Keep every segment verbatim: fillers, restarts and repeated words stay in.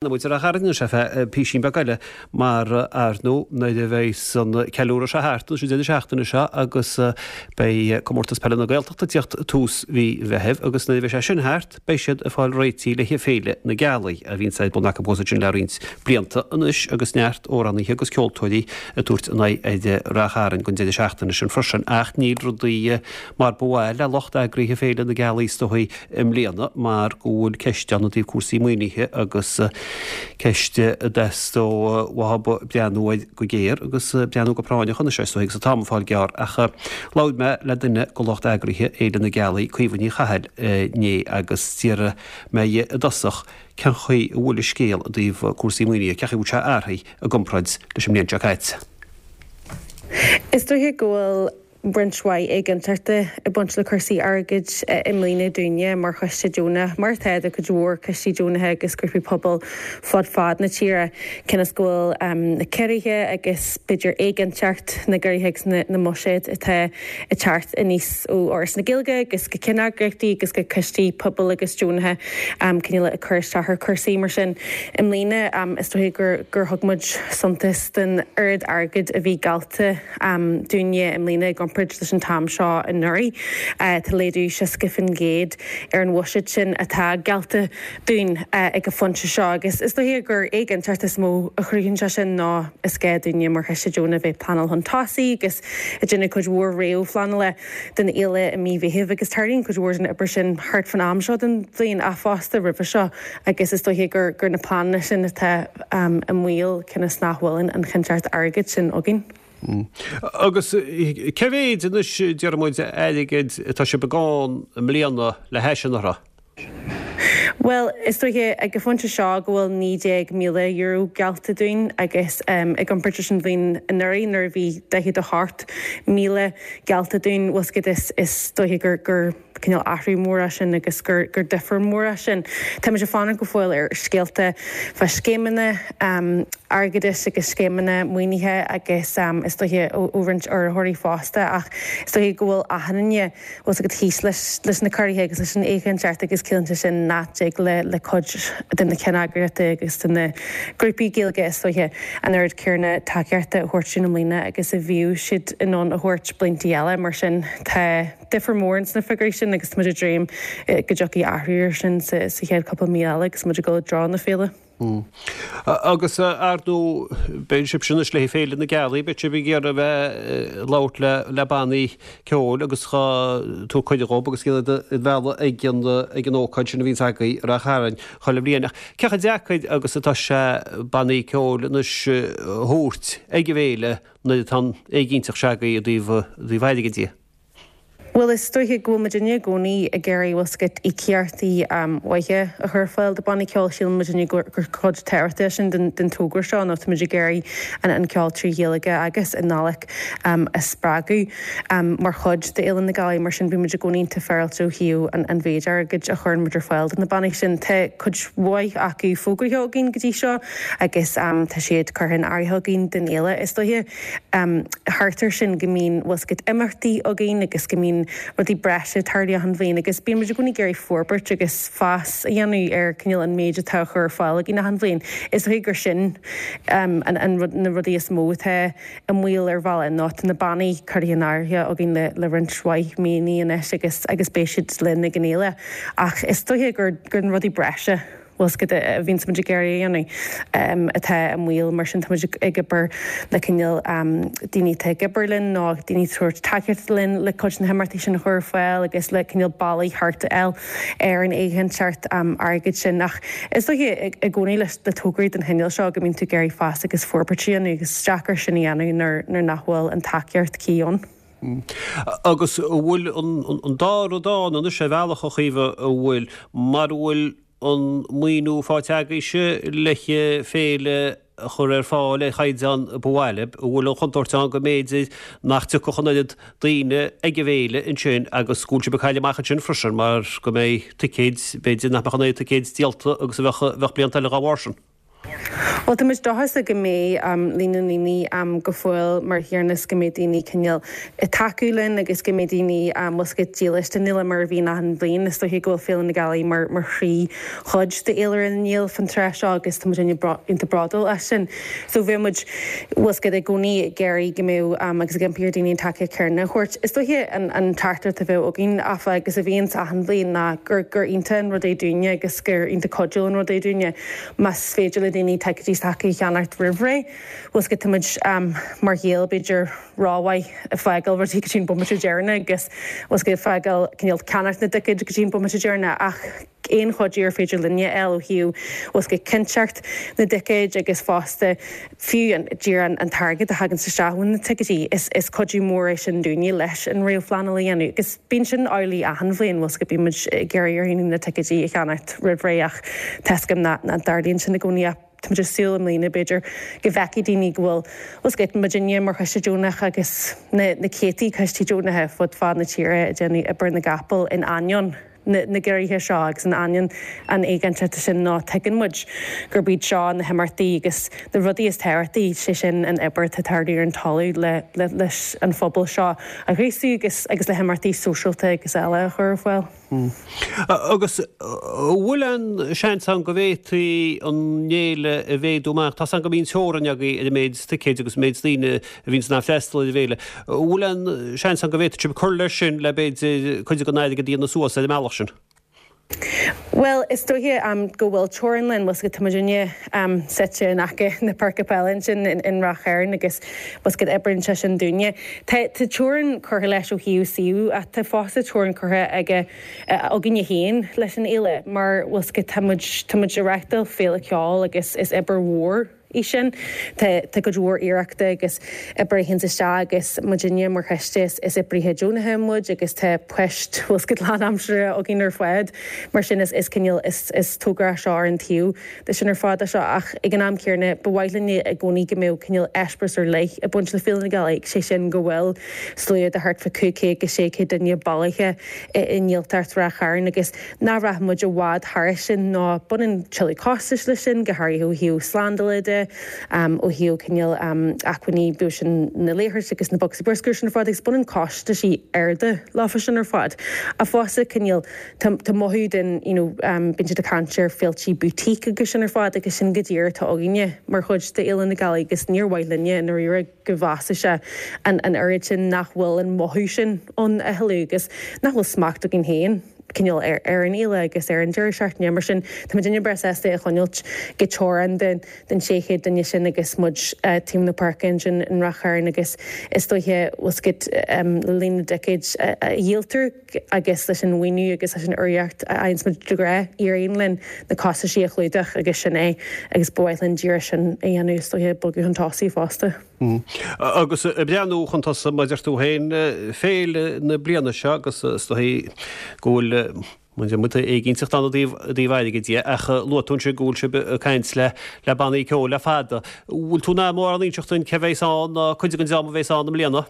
Muid ar Charraig sé fe písín beag eile mar ar ndóigh nuair a bheidh an ceiliúradh seo thart an deireadh seachtaine seo agus beidh comórtas peile na Gaeltachta ag tíocht tús mhí Mheithimh agus nuair a bheidh sé sin thart beidh siad ag fáil réitithe le Féile na Gealaí a bhíonn ar bun acu sin le roinnt blianta anois agus neart amhránaithe agus ceoltóirí ag tabhairt a n-aghaidh ar Ráth Chairn don deireadh seachtaine sin freisin ach níl rudaí mar ba mhaith le lucht eagraithe Féile na Gealaí is dóigh i mbliana mar go bhfuil ceist ann i dtaobh cúrsaí maoinithe agus ceist a dteastódh uathu breathnú air go géar agus breathnú go práinneach anois is dóigh agus an t-am ag fáil gearr ach labhair mé le duine de lucht eagraithe Fhéile na Gealaí, Caoimhe Ní Chathail inné agus d'iarr mé i dtosach cén chaoi a bhfuil an scéal i dtaobh cúrsaí maoinithe, cén chaoi a bhfuil sé athraithe i gcomparáid leis an mbliain seo caite. Is dóiche go bhfuil roinnt mhaith éiginnteachta ag baint le cúrsaí airgid i mbliana dúinne mar choiste deonach, mar atá do chuid mhór coistí deonacha agus grúpaí pobail fud fad na tíre, cionn is go bhfuil na ciorruithe agus b'fhéidir éiginnteacht na gciorruithe agus na mbuiséad atá ag teacht aníos ó Fhoras na Gaeilge agus go ceanneagraíochtaí agus go coistí pobail agus deonacha cineál ag cur isteach ar chúrsaí mar sin. I mbliana is dóiche gur gur thug muid suntas den oiread airgid a bhí geallta dúinne i mbliana i gcomparáid leis an t-am seo anuraidh. Tá laghdú seasca faoin gcéad ar an bhuiséad sin atá geallta dúinn ag an phointe seo agus is dóiche gur éiginnteacht is mó a chruthaíonn sé sin ná is gá dúinne mar choiste deonach a bheith ag pleanáil chun tosaigh agus ag déanamh cuid mhór réamhphleanála don fhéile i mí Mheithimh agus tarlaíonn cuid mhór den obair sin thart fan am seo den bhliain ach fosta roimhe seo agus is dóiche gur gur na pleananna sin atá i mbaol cionn is nach bhfuil an chinnteacht airgid sin againn. Agus cé mhéid anois deir muid airgid atá sibh ag gabháil i mbliana le hais anuraidh? Bhuel, is dóiche ag an phointe seo go bhfuil naoi déag míle euro geallta dúinn agus i gcomparáid leis an bhliain anuraidh nuair a bhí daichead a hocht míle geallta dúinn, bhfuil 's agat is is dóiche gur gur cineál athrú mór é sin agus gur gur difear mór é sin. Táimid ag fanacht go fóill ar scéalta fá scéimeanna airgeadais agus scéimeanna maoinithe agus is dóiche ó roinnt urraitheoirí fosta ach is dóiche go bhfuil achan duine bhfuil 's agat thíos leis leis na ciorruithe agus leis an éiginnteacht agus ciallaíonn sé sin nach dtig le le cuid de na ceanneagraíochtaí agus de na grúpaí Gaeilge is dóiche an oiread céanna tacaíochta a thabhairt dúinn i mbliana agus a bhíodh siad in ann a thabhairt blianta eile mar sin tá difear mór ins na figiúirí sin agus táimid ag dréim go dtiocfaidh athrú air sin sa chéad cúpla mí eile agus muid ag dul i dtreo na féile. Agus ar ndóigh beidh sibh anois le Féile na Gealaí, beidh sibh ag iarraidh a bheith ag labhairt le le bannaí ceoil agus dhá tabhairt cuireadh dhóibh agus iad a mhealladh ag an ag an ócáid sin a bhíonns agaibh i Ráth Chairn chuile bhliain. Ach cé chomh deacair agus atá sé bannaí ceoil anois a thabhairt ag an bhféile nuair atá an éiginnteacht seo agaibh i dtaobh i dtaobh airgid de? Bhuel, is dóiche go bhfuil muidinne i gcónaí ag iarraidh, bhfuil 's agat, íocaíochtaí maithe a chur ar fáil do bannaí ceoil. Síleann muidinne gur cuid tábhachtach é sin den togra seo nó tá muid ag iarraidh an ceol trí Ghaeilge agus i nGàidhlig a spreagadh mar chuid d'Fhéile na Gealaí. Mar sin, bíonn muid i gcónaí iontach féaráilte ó thaobh an mhéid airgid a chuireann muid ar fáil do na bannaí sin. Tá cuid mhaith acu fógraithe againn go dtí seo agus tá siad curtha in áirithe againn don fhéile. Is dóiche thart air sin go mbíonn, bhfuil 's agat, imeachtaí againn agus go mbíonn rudaí breise ag tarlú achan bhliain agus bíonn muid i gcónaí ag iarraidh forbairt agus fás a dhéanamh ar cineál an méid atá á chur ar fáil againn achan bhliain. Is dóiche gur sin an rud, na rudaí is mó atá i mbaol ar bhealach ná tá na bannaí curtha in áirithe againn le le roinnt mhaith míonna anois agus agus beidh siad linn ag an fhéile ach is dóiche gur gur na rudaí breise bhfuil 's agat, a bhíonns muid ag iarraidh a dhéanamh atá i mbaol, mar sin tá muid ag obair le cineál daoine atá ag obair linn nó daoine ag tabhairt tacaíochta linn le cuid de na himeachtaí sin a chur ar fáil agus le cineál bealaí thart a fháil ar an éiginnteacht airgid sin. Ach is dóiche i gcónaí leis na tograí den chineál seo go mbíonn tú ag iarraidh fás agus forbairt a dhéanamh agus is deacair sin a dhéanamh nuair nach bhfuil an tacaíocht cuí ann. Agus an bhfuil an dá rud ann anois ar bhealach, a Chaoimhe, an bhfuil, mar a bhfuil an maoiniú faighte agaibhse le féile a chur ar fáil ar chaighdeán ba mhaith libh, an bhfuil an chontúirt ann go mb'fhéidir nach dtiocfadh an oiread daoine ag an bhféile ansin agus go bhfuil sibh ag cailleadh amach ansin freisin mar go mbeidh ticéid, b'fhéidir nach mbeadh an oiread ticéid díolta agus a bheadh, bheadh blianta eile dá bharr sin. Well tá muid dóchasach go mbeidh líon na ndaoine go fóill mar thiarnas go mbeidh daoine cineál ag tacú linn agus go mbeidh daoine bhfuil 's agat dílis don fhéile mar a bhíonn achan bhliain. Is dóiche go bhfuil Féile na Gealaí mar mar chroí chuid d'fhéilire na nGael fán tráth seo agus tá muid iontach bródúil as sin. So bheadh muid bhfuil 's agat i gcónaí ag iarraidh go mbeadh agus ag impí ar daoine an tacaíocht chéanna a thabhairt. Is dóiche an an teachtaireacht a bheadh againn áfach agus a bhíonns achan bhliain ná gur gur iontach an rud é dúinne agus gur iontach cuidiúil an rud é dúinne más féidir le daoine ticéidí s'acu a cheannacht roimh ré. Bhfuil 's agat tá muid mar Ghaeil b'fhéidir rómhaith ag fágáil rudaí go dtí an bomaite deireanach agus bhfuil 's agat ag fágáil cineál ceannacht na dticéad go dtí an bomaite deireanach ach aon chuidiú ar féidir linne a fháil ó thaobh bhfuil 's agat cinnteacht na dticéid agus fosta fiú an díreach an t-airgead a thaganns isteach ó na ticéidí is is cuidiú mór é sin dúinne leis an réamhphleanáil a dhéanamh agus bíonn sin amhlaidh achan bhliain bhfuil 's agat bíonn muid ag iarraidh ar dhaoine na ticéidí a cheannacht roimh ré ach tá 's agam nach dtarlaíonn sin i gcónaí ach tá muid ag súil i mbliana b'fhéidir go bhfeicfidh daoine go bhfuil bhfuil 's agat muidinne mar choiste deonach agus na na céadtaí coistí deonacha fud fad na tíre ag déanamh obair na gcapall in ainneoin na na gciorruithe seo agus in ainneoin an éiginnteachta sin nó tuigeann muid gurb iad seo na himeachtaí agus na rudaí is tábhachtaí, sé sin an obair atá ag tarlú ar an talamh le le leis an phobal seo a ghríosú agus agus le himeachtaí sóisialta agus eile a chur ar fáil. Agus an bhfuil aon seans ann go bhféadfaí an fhéile a mhéadú amach? Tá's agam go mbíonn teorainn agaibh ar an méid ticéid agus an méid daoine a bhíonns in ann freastal ar an bhféile. An bhfuil aon seans ann go bhféadfadh sibh cur leis sin le b'fhéidir cuid den airgead a dhéanamh suas ar an mbealach sin? Bhuel, is dóiche go bhfuil teorainn linn, bhfuil 's agat tá muidinne suite in aice na páirce peile ansin in Ráth Chairn agus bhfuil 's agat oibríonn sé sin dúinne. Tá teorainn curtha leis ó thaobh suíomh ach tá fosta teorainn curtha aige againne féin leis an fhéile mar bhfuil 's agat tá muid tá muid ag reáchtáil féile ceoil agus is obair mhór í sin. Tá tá cuid mhór iarrachta agus oibre a théanns isteach agus muidinne mar choiste is is oibrithe deonacha muid agus tá poist bhfuil 's agat lánaimseartha againn ar fad mar sin is is cineál is is togra é seo ar an taobh de sin ar fad é seo ach ag an am céanna ba mhaith linn i gcónaí go mbeadh cineál eispéireas ar leith ag baint le Féile na Gealaí, sé sin go bhfuil slua de thart fá cúig chéad go sé chéad duine bailithe i i nGaeltacht Ráth Chairn agus nach rachaidh muid i bhfad thairis sin nó baineann tuilleadh costais leis sin, go háirithe ó thaobh slándála de, ó thaobh cineál acmhainní, bíodh sin na leithris agus na bocsaí bruscair sin ar fad agus baineann costaisí arda leofa sin ar fad. Ach fosta cineál tá tá mothú den you know bíonn siad ag caint ar féiltí boutique agus sin ar fad agus sin go díreach atá againne mar chuid de Fhéile na Gealaí agus níor mhaith linne i ndáiríre go bhfásfadh sé an an oiread sin nach bhfuil an mothú sin ann a thuilleadh agus nach bhfuil smacht againn féin cineál ar ar an fhéile agus ar an deireadh seachtaine. Mar sin, tá muidinne breá sásta é a choinneáilt go teorann den den sé chéad duine sin agus muid taobh na páirce ansin in Ráth Chairn agus is dóiche bhfuil 's agat le líon na dticéid a dhíoltar agus leis an mhaoiniú agus leis an urraíocht a fhaigheanns muid de ghnáth, éiríonn linn na costaisí a chlúdach agus sin é agus ba mhaith linn díreach sin a dhéanamh is dóiche bogadh chun tosaigh fosta. Agus ag breathnú chun tosaigh, mar a deir tú féin, féile na bliana seo agus is dóigh go bhfuil muid éiginnteacht ann i dtaobh airgid dhe, ach luaigh tú ansin go bhfuil sibh ag caint le le bannaí ceoil le fada. Bhfuil tú in ann mórán a inseacht dúinn cé bheas ann ná cuid den dream a bheas ann i mbliana?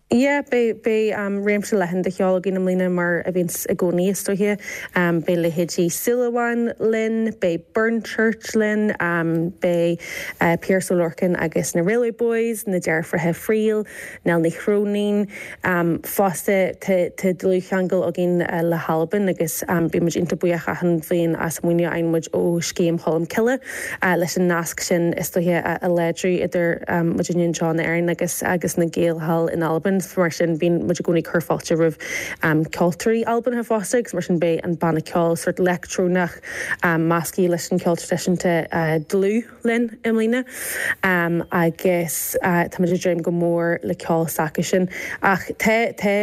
Yeah, beidh beidh réimse leathan de cheol againn i mbliana mar a bhíonns i gcónaí is dóiche. Beidh leithéidí Súilleabháin linn, beidh Burnt Church linn, beidh Piaras Ó Lorcáin agus na Railway Boys, na deirfiúracha Friel, Nell Ní Chróinín. Fosta tá tá dlúthcheangal againn le hAlbain agus bíonn muid iontach buíoch achan bhliain as an maoiniú a fhaigheann muid ó Scéim Cholm Cille leis an nasc sin is dóiche a láidriú idir muidinne anseo in Éirinn agus agus na Gaeil thall in Albain. Mar sin bíonn muid i gcónaí ag cur fáilte roimh ceoltóirí Albanacha fosta agus mar sin beidh an banna ceoil sórt leictreonach measctha leis an cheol traidisiúnta dlúth linn i mbliana agus tá muid ag dréim go mór le ceol s'acusan. Ach tá tá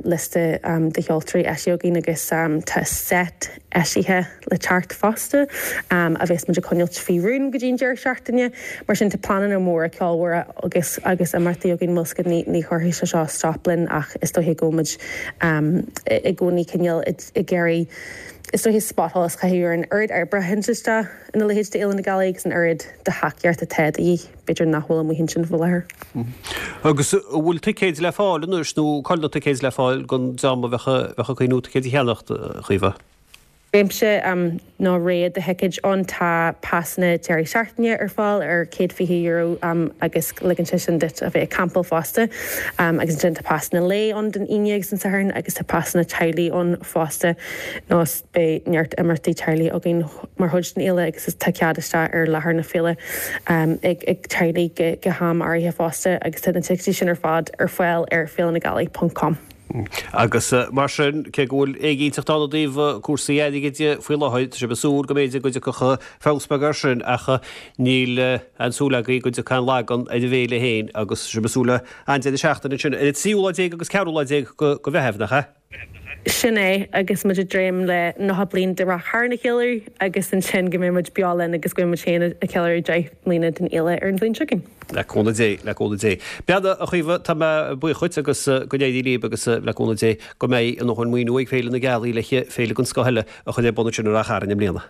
liosta de cheoltóirí eisithe againn agus tá set eisithe le teacht fosta, a bheas muid ag coinneáilt faoi rún go dtí an deireadh seachtaine. Mar sin, tá pleananna móra ceolmhara agus agus imeachtaí againn, bhfuil 's agat, ní ní chuirfidh sé seo stop linn ach is dóiche go bhfuil muid i gcónaí cineál ag iarraidh is dóiche spotsholas a chaitheamh ar an oiread oibre a théann isteach ina leithéid d'Fhéile na Gealaí agus an oiread de thacaíocht atá de dhíth, b'fhéidir nach bhfuil amuigh ansin faoi láthair. Agus an bhfuil ticéid le fáil anois nó cá bhfuil na ticéid le fáil don dream a bheadh ag cuimhniú ticéid a cheannacht, a Chaoimhe? Réimse nó rogha de thicéid ann. Tá pasanna deireadh seachtaine ar fáil ar céad fiche euro agus ligeann sé sin duit a bheith ag campáil fosta. Agus ansin tá pasanna lae ann don Aoine agus an Satharn agus tá pasanna teaghlaigh ann fosta nó beidh neart imeachtaí teaghlaigh againn mar chuid den fhéile agus tá cead isteach ar láthair na féile ag ag teaghlaigh go ham áirithe fosta agus tá na ticéidí sin ar fad ar fáil ar féilenagealaí ponc com. Agus mar sin, cé go bhfuil éiginnteacht ann i dtaobh cúrsaí airgid faoi láthair, tá sibh ag súil go mb'fhéidir go dtiocfadh feabhas beag air sin ach níl aon súil agaibh go dtiocfaidh aon lagán ar an bhféile féin agus tá sibh ag súil le an-deireadh seachtaine ansin ar an tríú lá déag agus ceathrú lá déag de Mheitheamh, nach ea? Sin é, agus muid ag dréim le nócha bliain de Ráth Chairn a cheiliúradh agus ansin go mbeidh muid beo linn agus go mbeidh muid féin ag ceiliúradh deich mbliana den fhéile ar an bhliain seo chugainn. Le cúnamh Dé, le cúnamh Dé. Beannacht a Chaoimhe, tá mé buíoch dhuit agus go n-éirí libh agus le cúnamh Dé go mbeidh a ndóthain maoiniú ag Féile na Gealaí le féile den scoth eile a chur ar bun ansin i Ráth Chairn i mbliana.